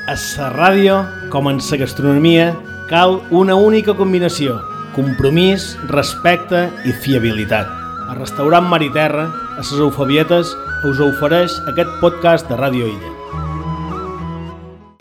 A la ràdio, com en la gastronomia, cal una única combinació: compromís, respecte i fiabilitat. El restaurant Mar i Terra, a les Eufebietes, us ofereix aquest podcast de Ràdio Illa.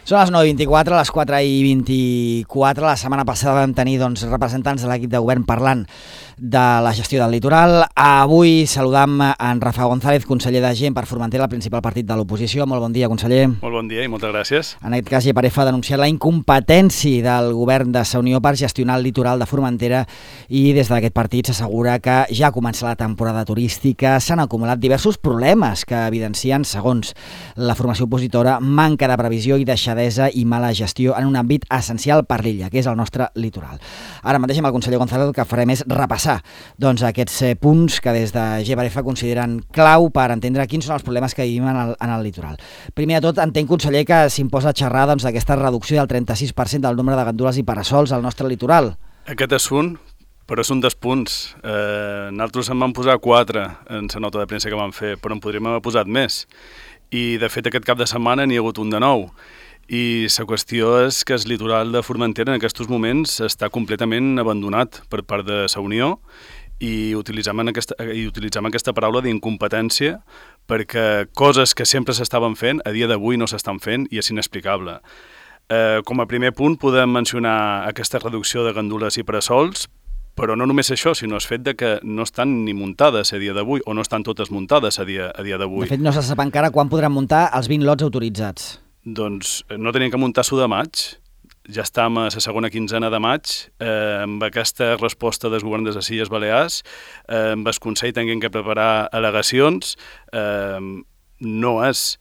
Són les 9:24, les 4:24. La setmana passada vam tenir representants de l'equip de govern parlant de la gestió del litoral. Avui saludam en Rafa González, conseller de Gent per Formentera, el principal partit de l'oposició. Molt bon dia, conseller. Molt bon dia i moltes gràcies. En aquest cas, Lleparefa ha denunciat la incompetència del govern de la Unió per gestionar el litoral de Formentera i des d'aquest partit s'assegura que ja comença la temporada turística. S'han acumulat diversos problemes que evidencien, segons la formació opositora, manca de previsió i deixadesa i mala gestió en un àmbit essencial per l'illa, que és el nostre litoral. Ara mateix amb el conseller González el que farem és repassar aquests punts que des de Lleparefa consideren clau per entendre quins són els problemes que vivim en el litoral. Primer de tot, entenc, conseller, que s'imposa xerrar d'aquesta reducció del 36% del nombre de gandules i parasols al nostre litoral. Aquest és un, però és un dels punts. Nosaltres en vam posar 4 en la nota de premsa que vam fer, però en podríem haver posat més. I, de fet, aquest cap de setmana n'hi ha hagut un de nou. I la qüestió és que el litoral de Formentera en aquests moments està completament abandonat per part de la Unió i utilitzem aquesta paraula d'incompetència perquè coses que sempre s'estaven fent a dia d'avui no s'estan fent i és inexplicable. Com a primer punt podem mencionar aquesta reducció de gandules i parasols, però no només això, sinó el fet de que no estan ni muntades a dia d'avui o no estan totes muntades a dia d'avui. De fet, no se sap encara quan podran muntar els 20 lots autoritzats. Doncs no teníem que muntar l'1 de maig, ja estem a la segona quinzena de maig, amb aquesta resposta del govern de les Illes Balears, amb el Consell tinguem que preparar al·legacions, no és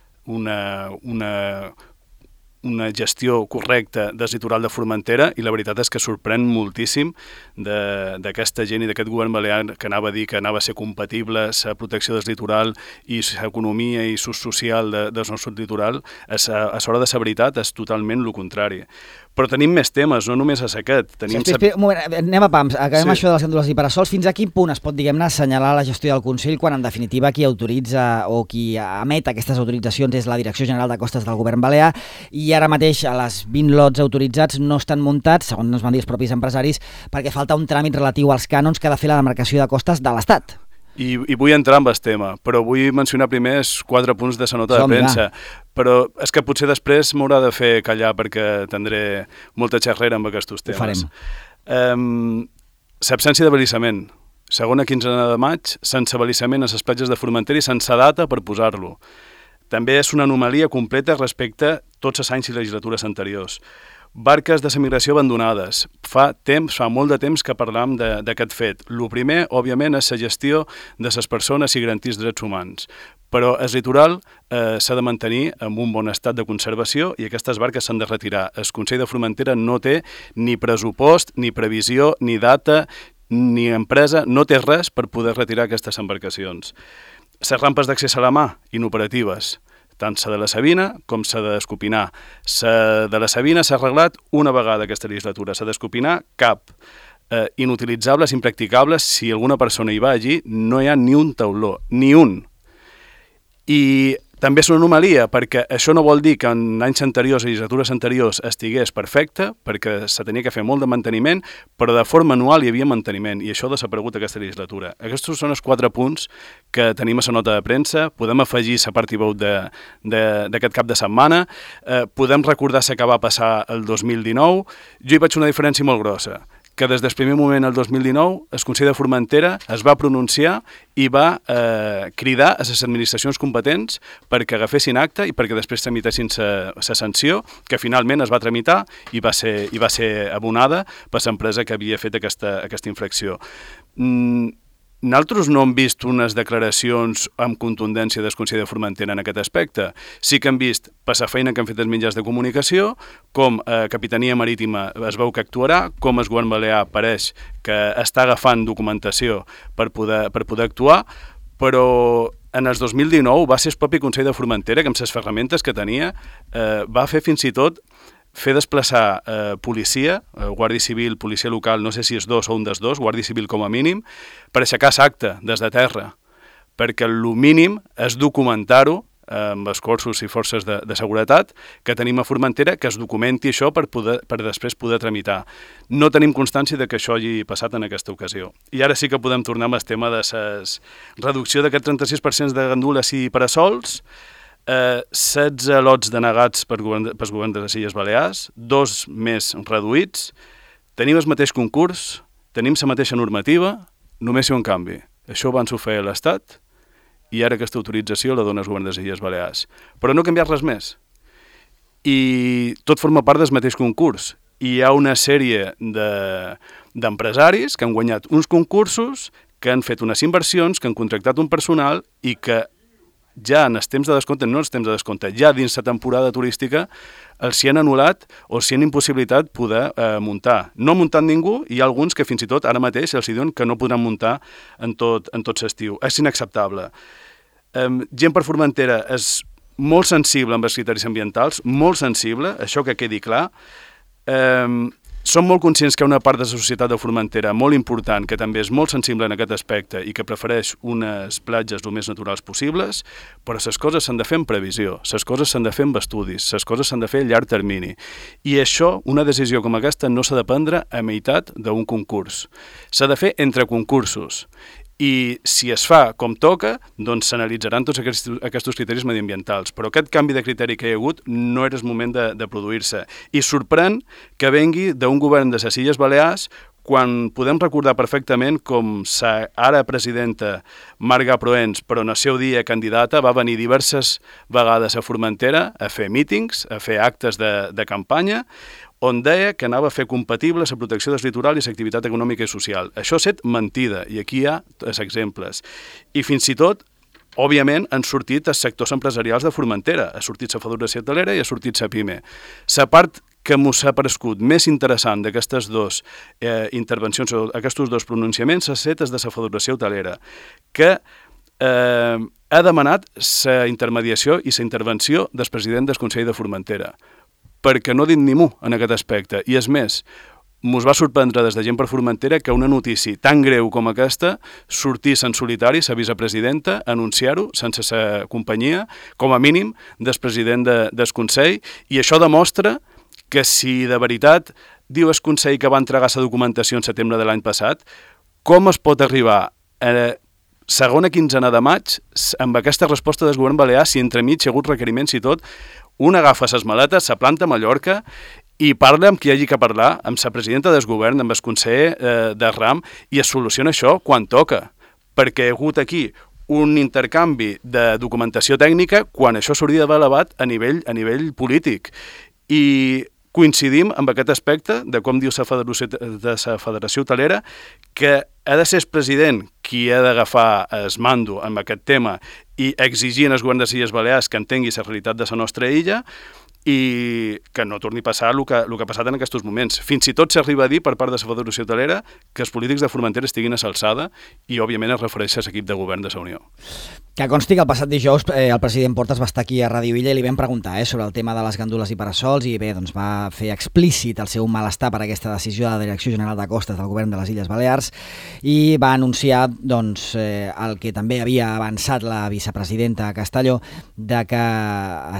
una gestió correcta del litoral de Formentera i la veritat és que sorprèn moltíssim d'aquesta gent i d'aquest govern balear que anava a dir que anava a ser compatible la protecció del litoral i l'economia i l'ús social del nostre litoral. A l'hora de la veritat és totalment el contrari. Però tenim més temes, no només és aquest. Un moment, anem a pams, acabem això de les gandules i parasols. Fins a quin punt es pot, diguem-ne, assenyalar la gestió del Consell quan, en definitiva, qui autoritza o qui emet aquestes autoritzacions és la Direcció General de Costes del Govern Balear i ara mateix a les 20 lots autoritzats no estan muntats, segons ens van dir els propis empresaris, perquè falta un tràmit relatiu als cànons que ha de fer la demarcació de costes de l'Estat. I vull entrar en el tema, però vull mencionar primer els 4 punts de la nota de premsa. Però és que potser després m'haurà de fer callar perquè tindré molta xerrera amb aquests temes. Ho farem. L'absència d'abalisament. Segona quinzena de maig, sense abalisament a les platges de Formentera i sense data per posar-lo. També és una anomalia completa respecte a tots els anys i legislatures anteriors. Barques de migració abandonades. Fa molt de temps que parlam d'aquest fet. El primer, òbviament, és la gestió de les persones i garantir els drets humans. Però el litoral s'ha de mantenir en un bon estat de conservació i aquestes barques s'han de retirar. El Consell de Formentera no té ni pressupost, ni previsió, ni data, ni empresa, no té res per poder retirar aquestes embarcacions. Les rampes d'accés a la mà, inoperatives. Tant la de la Sabina com la d'Escopinar. La de la Sabina s'ha arreglat una vegada aquesta legislatura, la d'Escopinar cap. Inutilitzables, impracticables, si alguna persona hi va allí no hi ha ni un tauló, ni un. I també és una anomalia, perquè això no vol dir que en anys anteriors, legislatures anteriors, estigués perfecte, perquè se tenia que fer molt de manteniment, però de forma anual hi havia manteniment, i això ha desaparegut aquesta legislatura. Aquests són els 4 punts que tenim a la nota de premsa, podem afegir la part i veu d'aquest cap de setmana, podem recordar què va passar el 2019, jo hi vaig una diferència molt grossa, que des del primer moment, el 2019, el Consell de Formentera es va pronunciar i va cridar a les administracions competents perquè agafessin acte i perquè després tramitessin la sanció, que finalment es va tramitar i va ser abonada per l'empresa que havia fet aquesta infracció. Nosaltres no hem vist unes declaracions amb contundència del Consell de Formentera en aquest aspecte. Sí que hem vist per la feina que han fet els mitjans de comunicació, com Capitania Marítima es veu que actuarà, com el govern balear pareix que està agafant documentació per poder actuar, però en el 2019 va ser el propi Consell de Formentera que amb les ferramentes que tenia va fer fins i tot fer desplaçar policia, Guàrdia Civil, policia local, no sé si és 2 o un dels 2, Guàrdia Civil com a mínim, per aixecar l'acte des de terra, perquè el mínim és documentar-ho amb els cossos i forces de seguretat que tenim a Formentera, que es documenti això per després poder tramitar. No tenim constància de que això hagi passat en aquesta ocasió. I ara sí que podem tornar amb el tema de la reducció d'aquest 36% de gandules i parasols, 16 lots denegats pels governs de les Illes Balears, 2 més reduïts, tenim el mateix concurs, tenim la mateixa normativa, només hi ha un canvi. Això abans ho feia l'Estat i ara aquesta autorització la dona el govern de les Illes Balears. Però no ha canviat res més. I tot forma part del mateix concurs. I hi ha una sèrie d'empresaris que han guanyat uns concursos, que han fet unes inversions, que han contractat un personal i que ja en els temps de descompte, no els temps de descompte, ja dins la temporada turística, els s'hi han anul·lat o s'hi han impossibilitat poder muntar. No ha muntat ningú i hi ha alguns que fins i tot ara mateix els diuen que no podran muntar en tot l'estiu. És inacceptable. Gent per Formentera és molt sensible amb els criteris ambientals, molt sensible, això que quedi clar. Som molt conscients que hi ha una part de la societat de Formentera molt important, que també és molt sensible en aquest aspecte i que prefereix unes platges el més naturals possibles, però les coses s'han de fer en previsió, les coses s'han de fer amb estudis, les coses s'han de fer a llarg termini. I això, una decisió com aquesta, no s'ha de prendre a meitat d'un concurs. S'ha de fer entre concursos. I si es fa com toca, doncs s'analitzaran tots aquests criteris mediambientals. Però aquest canvi de criteri que hi ha hagut no era el moment de produir-se. I sorprèn que vengui d'un govern de les Illes Balears quan podem recordar perfectament com la ara presidenta Marga Proens, però en el seu dia candidata, va venir diverses vegades a Formentera a fer mítings, a fer actes de campanya, on deia que anava a fer compatible la protecció del litoral i l'activitat econòmica i social. Això ha estat mentida, i aquí hi ha els exemples. I fins i tot, òbviament, han sortit els sectors empresarials de Formentera. Ha sortit la Federació Hotelera i ha sortit la PIME. La part que m'ho ha parescut més interessant d'aquestes dues intervencions, aquests dos pronunciaments, ha estat de la Federació Hotelera, que ha demanat la intermediació i la intervenció del president del Consell de Formentera, perquè no ha dit ni mu en aquest aspecte. I és més, mos va sorprendre des de Gent per Formentera que una notícia tan greu com aquesta sortís en solitari la vicepresidenta a anunciar-ho sense sa companyia, com a mínim, del president del Consell, i això demostra que si de veritat diu el Consell que va entregar la documentació en setembre de l'any passat, com es pot arribar a segona quinzena de maig amb aquesta resposta del govern balear si entremig hi ha hagut requeriments i tot? Un agafa les maletes, se planta a Mallorca i parla amb qui hagi que parlar, amb la presidenta del govern, amb el conseller del RAM, i es soluciona això quan toca. Perquè hi ha hagut aquí un intercanvi de documentació tècnica quan això s'hauria d'haver elevat a nivell polític. I coincidim amb aquest aspecte de com diu la Federació Hotelera, que ha de ser el president qui ha d'agafar el mando en aquest tema i exigir al govern de les Illes Balears que entengui la realitat de la nostra illa i que no torni a passar el que ha passat en aquests moments. Fins i tot s'arriba a dir per part de la Federació Hotelera que els polítics de Formentera estiguin a l'alçada i, òbviament, es refereix a l'equip de govern de la Unió. Que consti que el passat dijous el president Portas va estar aquí a Ràdio Illa i li vam preguntar sobre el tema de les gandules i parasols i bé, doncs va fer explícit el seu malestar per aquesta decisió de la Direcció General de Costes del govern de les Illes Balears i va anunciar doncs, el que també havia avançat la vicepresidenta Castelló de que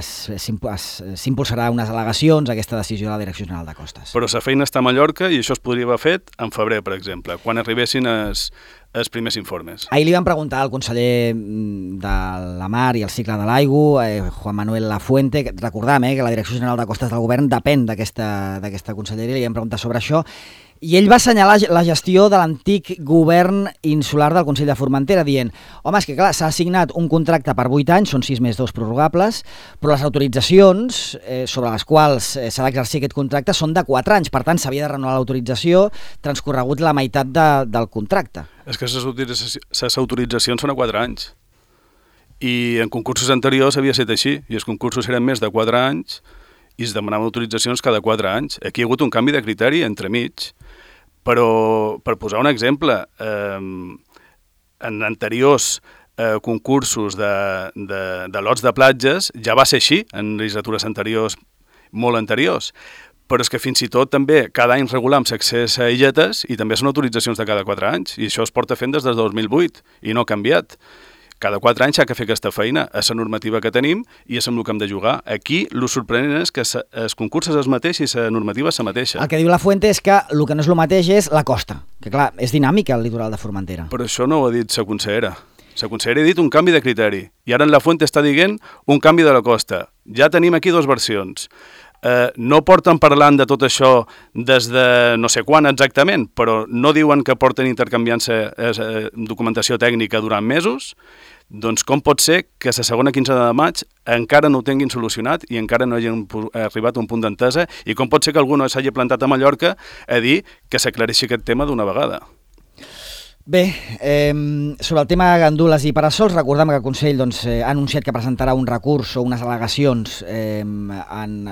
s'impulsarà unes al·legacions a aquesta decisió de la Direcció General de Costes. Però la feina està a Mallorca i això es podria haver fet en febrer, per exemple, quan arribessin els primers informes. Ahir li van preguntar al conseller de la Mar i el Cicle de l'Aigua, Juan Manuel Lafuente, recordam que la Direcció General de Costes del Govern depèn d'aquesta conselleria, li van preguntar sobre això, i ell va assenyalar la gestió de l'antic govern insular del Consell de Formentera, dient, home, és que clar, s'ha assignat un contracte per 8 anys, són 6 més 2 prorrogables, però les autoritzacions sobre les quals s'ha d'exercir aquest contracte són de 4 anys, per tant s'havia de renovar l'autorització transcorregut la meitat del contracte. És que les autoritzacions són a 4 anys. I en concursos anteriors havia estat així, i els concursos eren més de 4 anys i es demanaven autoritzacions cada 4 anys. Aquí hi ha hagut un canvi de criteri entremig, però per posar un exemple, en anteriors concursos de lots de platges ja va ser així, en legislatures anteriors, molt anteriors, però és que fins i tot també cada any regulam l'accés a illetes i també són autoritzacions de cada 4 anys, i això es porta fent des del 2008 i no ha canviat. Cada 4 anys s'ha de fer aquesta feina, a la normativa que tenim i és amb el que hem de jugar. Aquí, el sorprenent és que el concurs és el mateix i la normativa és la mateixa. El que diu la Fuente és que el que no és el mateix és la costa, que clar, és dinàmica el litoral de Formentera. Però això no ho ha dit la consellera. La consellera ha dit un canvi de criteri i ara en la Fuente està dient un canvi de la costa. Ja tenim aquí 2 versions. No porten parlant de tot això des de no sé quan exactament, però no diuen que porten intercanviant-se documentació tècnica durant mesos. Doncs com pot ser que la segona quinzena de maig encara no ho tinguin solucionat i encara no hagin arribat a un punt d'entesa? I com pot ser que algú no s'hagi plantat a Mallorca a dir que s'aclareixi aquest tema d'una vegada? Bé, sobre el tema gandules i parasols, recordem que el Consell ha anunciat que presentarà un recurs o unes al·legacions en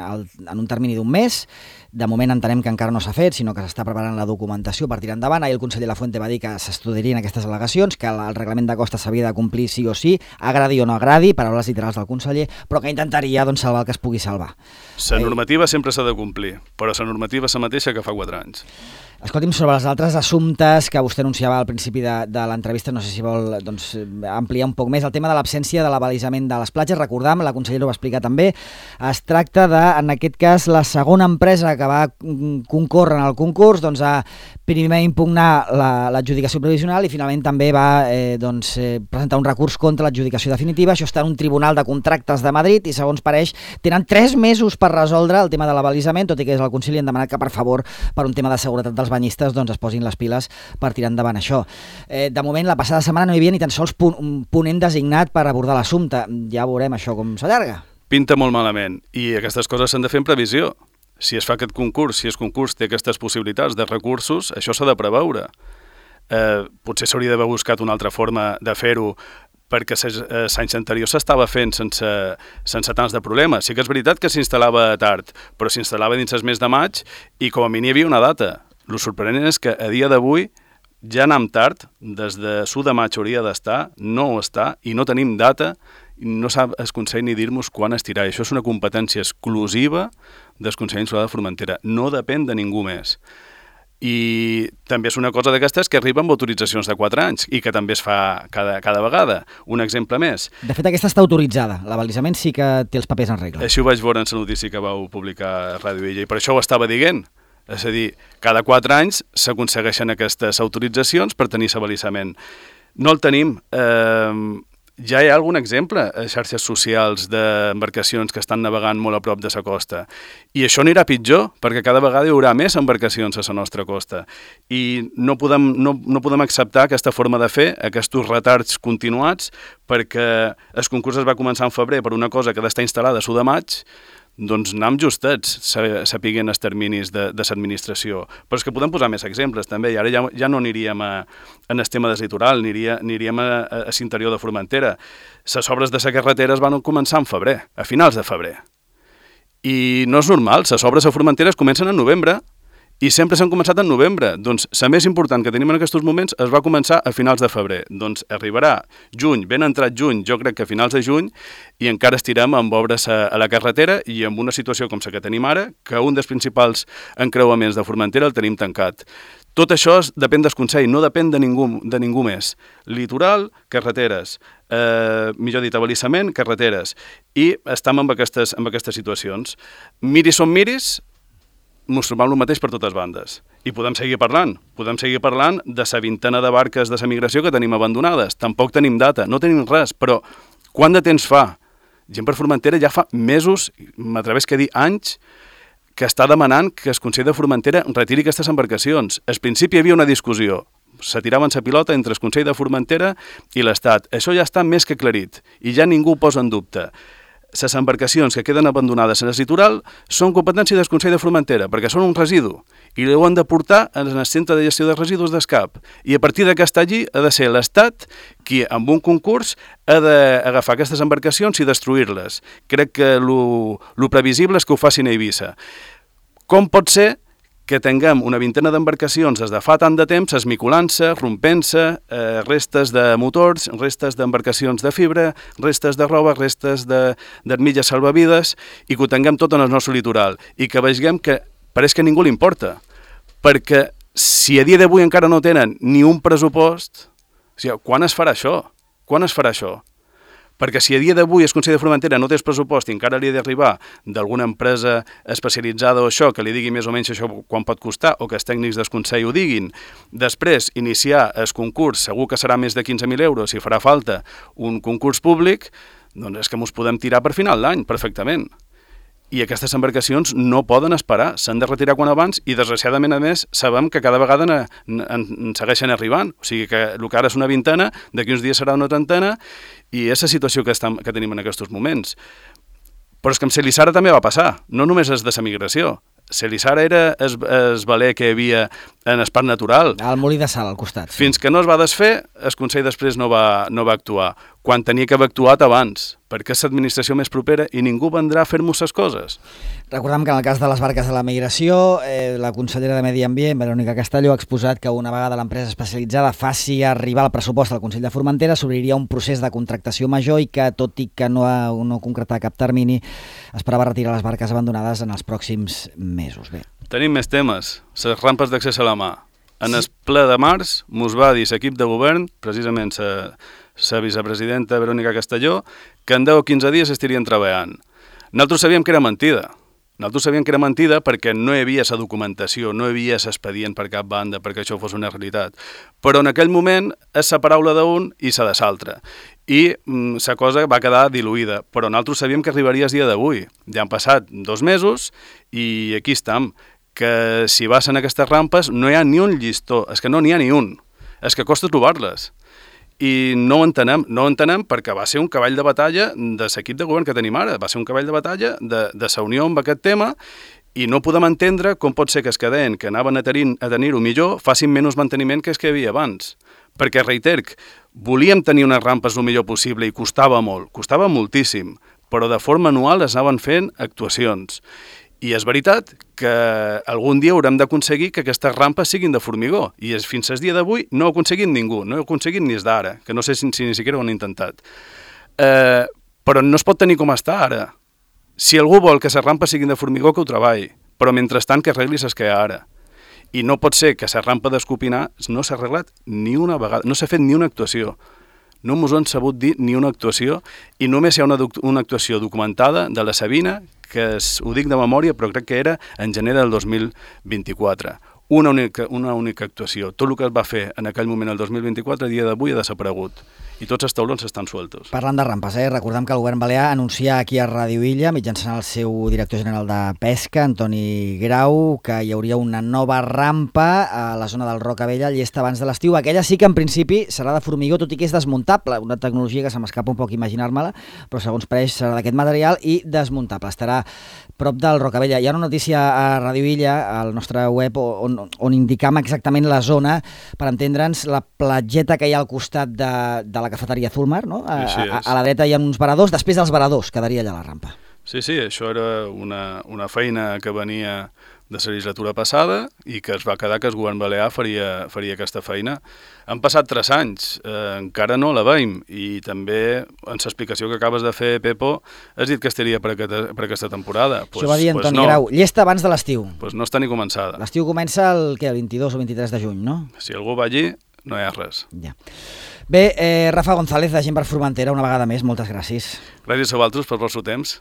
un termini d'un mes. De moment entenem que encara no s'ha fet, sinó que s'està preparant la documentació per tirar endavant. Ahir el conseller Lafuente va dir que s'estudiarien aquestes al·legacions, que el reglament de costa s'havia de complir sí o sí, agradi o no agradi, paraules literals del conseller, però que intentaria salvar el que es pugui salvar. La normativa sempre s'ha de complir, però la normativa és la mateixa que fa 4 anys. Escolti'm, sobre els altres assumptes que vostè anunciava al principi de l'entrevista, no sé si vol ampliar un poc més el tema de l'absència de l'abalisament de les platges. Recordam, la consellera ho va explicar també, es tracta de, en aquest cas, la segona empresa que va concórrer en el concurs, a primer impugnar l'adjudicació provisional i finalment també va presentar un recurs contra l'adjudicació definitiva. Això està en un tribunal de contractes de Madrid i, segons pareix, tenen 3 mesos per resoldre el tema de l'abalisament, tot i que des del Consell li han demanat que, per favor, per un tema de seguretat dels banyistes, es posin les piles per tirar endavant això. De moment, la passada setmana no hi havia ni tan sols un ponent designat per abordar l'assumpte. Ja veurem això com s'allarga. Pinta molt malament i aquestes coses s'han de fer en previsió. Si es fa aquest concurs, si el concurs té aquestes possibilitats de recursos, això s'ha de preveure. Potser s'hauria d'haver buscat una altra forma de fer-ho perquè els anys anteriors s'estava fent sense tants de problemes. Sí que és veritat que s'instal·lava tard, però s'instal·lava dins el mes de maig i com a mínim hi havia una data. El sorprenent és que a dia d'avui ja anem tard, des de l'1 de maig hauria d'estar, no ho està i no tenim data, i no sap el Consell ni dir-nos quan estirà. Això és una competència exclusiva del Consell Insular de Formentera, no depèn de ningú més. I també és una cosa d'aquestes que arriba amb autoritzacions de 4 anys i que també es fa cada vegada. Un exemple més. De fet, aquesta està autoritzada. L'abalisament sí que té els papers en regla. Així ho vaig veure en la notícia que vau publicar a Ràdio Illa i per això ho estava dient. És a dir, cada 4 anys s'aconsegueixen aquestes autoritzacions per tenir l'abalisament. No el tenim. Ja hi ha algun exemple a xarxes socials d'embarcacions que estan navegant molt a prop de la costa. I això anirà pitjor, perquè cada vegada hi haurà més embarcacions a la nostra costa. I no podem acceptar aquesta forma de fer, aquests retards continuats, perquè el concurs es va començar en febrer per una cosa que ha d'estar instal·lada a l'1 de maig, doncs anem justats, sapiguen els terminis de l'administració. Però és que podem posar més exemples, també, i ara ja no aniríem en el tema del litoral, aniríem a l'interior de Formentera. Les obres de la carretera es van començar en febrer, a finals de febrer. I no és normal, les obres a Formentera es comencen en novembre, i sempre s'han començat en novembre. Doncs la més important que tenim en aquests moments es va començar a finals de febrer. Doncs arribarà juny, ben entrat juny, jo crec que a finals de juny, i encara estirem amb obres a la carretera i amb una situació com la que tenim ara, que un dels principals encreuaments de Formentera el tenim tancat. Tot això depèn del Consell, no depèn de ningú més. Litoral, carreteres. Millor dit, abalisament, carreteres. I estem amb aquestes situacions. Miris on miris, ens trobem el mateix per totes bandes. I podem seguir parlant de la vintena de barques de la migració que tenim abandonades. Tampoc tenim data, no tenim res, però quant de temps fa? Gent per Formentera ja fa mesos, m'atreveix a dir anys, que està demanant que el Consell de Formentera retiri aquestes embarcacions. Al principi hi havia una discussió, se tiraven la pilota entre el Consell de Formentera i l'Estat. Això ja està més que aclarit i ja ningú ho posa en dubte. Les embarcacions que queden abandonades en el litoral són competència del Consell de Formentera, perquè són un residu, i ho han de portar en el Centre de Gestió de Residus d'Escap. I a partir que està allí ha de ser l'Estat qui, amb un concurs, ha d'agafar aquestes embarcacions i destruir-les. Crec que el previsible és que ho facin a Eivissa. Com pot ser que tinguem una vintena d'embarcacions des de fa tant de temps esmiculant-se, rompent-se, restes de motors, restes d'embarcacions de fibra, restes de roba, restes d'armilles salvavides, i que ho tinguem tot en el nostre litoral, i que veiem que pareix que a ningú li importa, perquè si a dia d'avui encara no tenen ni un pressupost, o sigui, quan es farà això? Quan es farà això? Perquè si a dia d'avui el Consell de Formentera no té el pressupost i encara li ha d'arribar d'alguna empresa especialitzada o això, que li digui més o menys això quan pot costar, o que els tècnics del Consell ho diguin, després iniciar el concurs, segur que serà més de 15.000 euros, si farà falta un concurs públic, doncs és que ens podem tirar per final d'any, perfectament. I aquestes embarcacions no poden esperar, s'han de retirar quan abans i, desgraciadament, a més, sabem que cada vegada en segueixen arribant. O sigui que el que ara és una vintena, d'aquí uns dies serà una trentena, i és la situació que tenim en aquests moments. Però és que amb Celissara també va passar, no només és de la migració. Celissara era el valer que hi havia en el parc natural. Al molí de sal, al costat. Sí. Fins que no es va desfer, el Consell després no va actuar, quan tenia que haver actuat abans, perquè és l'administració més propera i ningú vendrà a fer-nos les coses. Recordem que en el cas de les barques de la migració, la consellera de Medi Ambient, Verònica Castelló, ha exposat que una vegada l'empresa especialitzada faci arribar el pressupost al Consell de Formentera, s'obriria un procés de contractació major i que, tot i que no concretar cap termini, esperava retirar les barques abandonades en els pròxims mesos. Bé. Tenim més temes. Les rampes d'accés a la mà. En el ple de març mos va dir l'equip de govern, precisament la vicepresidenta Verònica Castelló, que en 10 o 15 dies estarien treballant. Nosaltres sabíem que era mentida. Nosaltres sabíem que era mentida perquè no hi havia la documentació, no hi havia l'expedient per cap banda perquè això fos una realitat. Però en aquell moment és la paraula d'un i la de l'altre. I la cosa va quedar diluïda. Però nosaltres sabíem que arribaria el dia d'avui. Ja han passat 2 mesos i aquí estem. Que si vas en aquestes rampes no hi ha ni un llistó, és que no n'hi ha ni un, és que costa trobar-les. I no ho entenem perquè va ser un cavall de batalla de l'equip de govern que tenim ara, va ser un cavall de batalla de la Unió amb aquest tema i no podem entendre com pot ser que es queden, que anaven a tenir-ho millor, facin menys manteniment que el que hi havia abans. Perquè, reiter, volíem tenir unes rampes el millor possible i costava moltíssim, però de forma anual es anaven fent actuacions. I és veritat que algun dia haurem d'aconseguir que aquestes rampes siguin de formigó. I fins al dia d'avui no ho ha aconseguit ningú, no ho ha aconseguit ni des d'ara, que no sé si ni siquiera ho han intentat. Però no es pot tenir com està ara. Si algú vol que les rampes siguin de formigó, que ho treballi, però mentrestant que arregli les que hi ha ara. I no pot ser que la rampa d'Escopinar no s'ha arreglat ni una vegada, no s'ha fet ni una actuació. No ens ho han sabut dir ni una actuació i només hi ha una actuació documentada de la Sabina, que ho dic de memòria, però crec que era en gener del 2024. Una única actuació. Tot el que es va fer en aquell moment, el 2024, a dia d'avui ha desaparegut. I tots els taulons estan sueltos. Parlant de rampes, recordem que el govern balear anuncia aquí a Ràdio Illa, mitjançant el seu director general de Pesca, Antoni Grau, que hi hauria una nova rampa a la zona del Rocavella llesta abans de l'estiu. Aquella sí que en principi serà de formigó, tot i que és desmuntable, una tecnologia que se m'escapa un poc imaginar-me-la, però segons pareix serà d'aquest material i desmuntable. Estarà prop del Rocavella. Hi ha una notícia a Ràdio Illa, al nostre web, on indicam exactament la zona, per entendre'ns, la platgeta que hi ha al costat de la cafeteria Zulmar, no? A la dreta hi ha uns varadors, després dels varadors quedaria allà la rampa. Sí, això era una feina que venia de la legislatura passada i que es va quedar que el govern balear faria aquesta feina. Han passat 3 anys, encara no la veiem, i també en l'explicació que acabes de fer, Pepo, has dit que estaria per aquesta temporada. Això va dir Antoni Grau, llesta abans de l'estiu. Doncs no està ni començada. L'estiu comença el 22 o 23 de juny, no? Si algú va allí, no hi ha res. Ja. Bé, Rafa González, de Gent per Formentera, una vegada més, moltes gràcies. Gràcies a vosaltres per el vostre temps.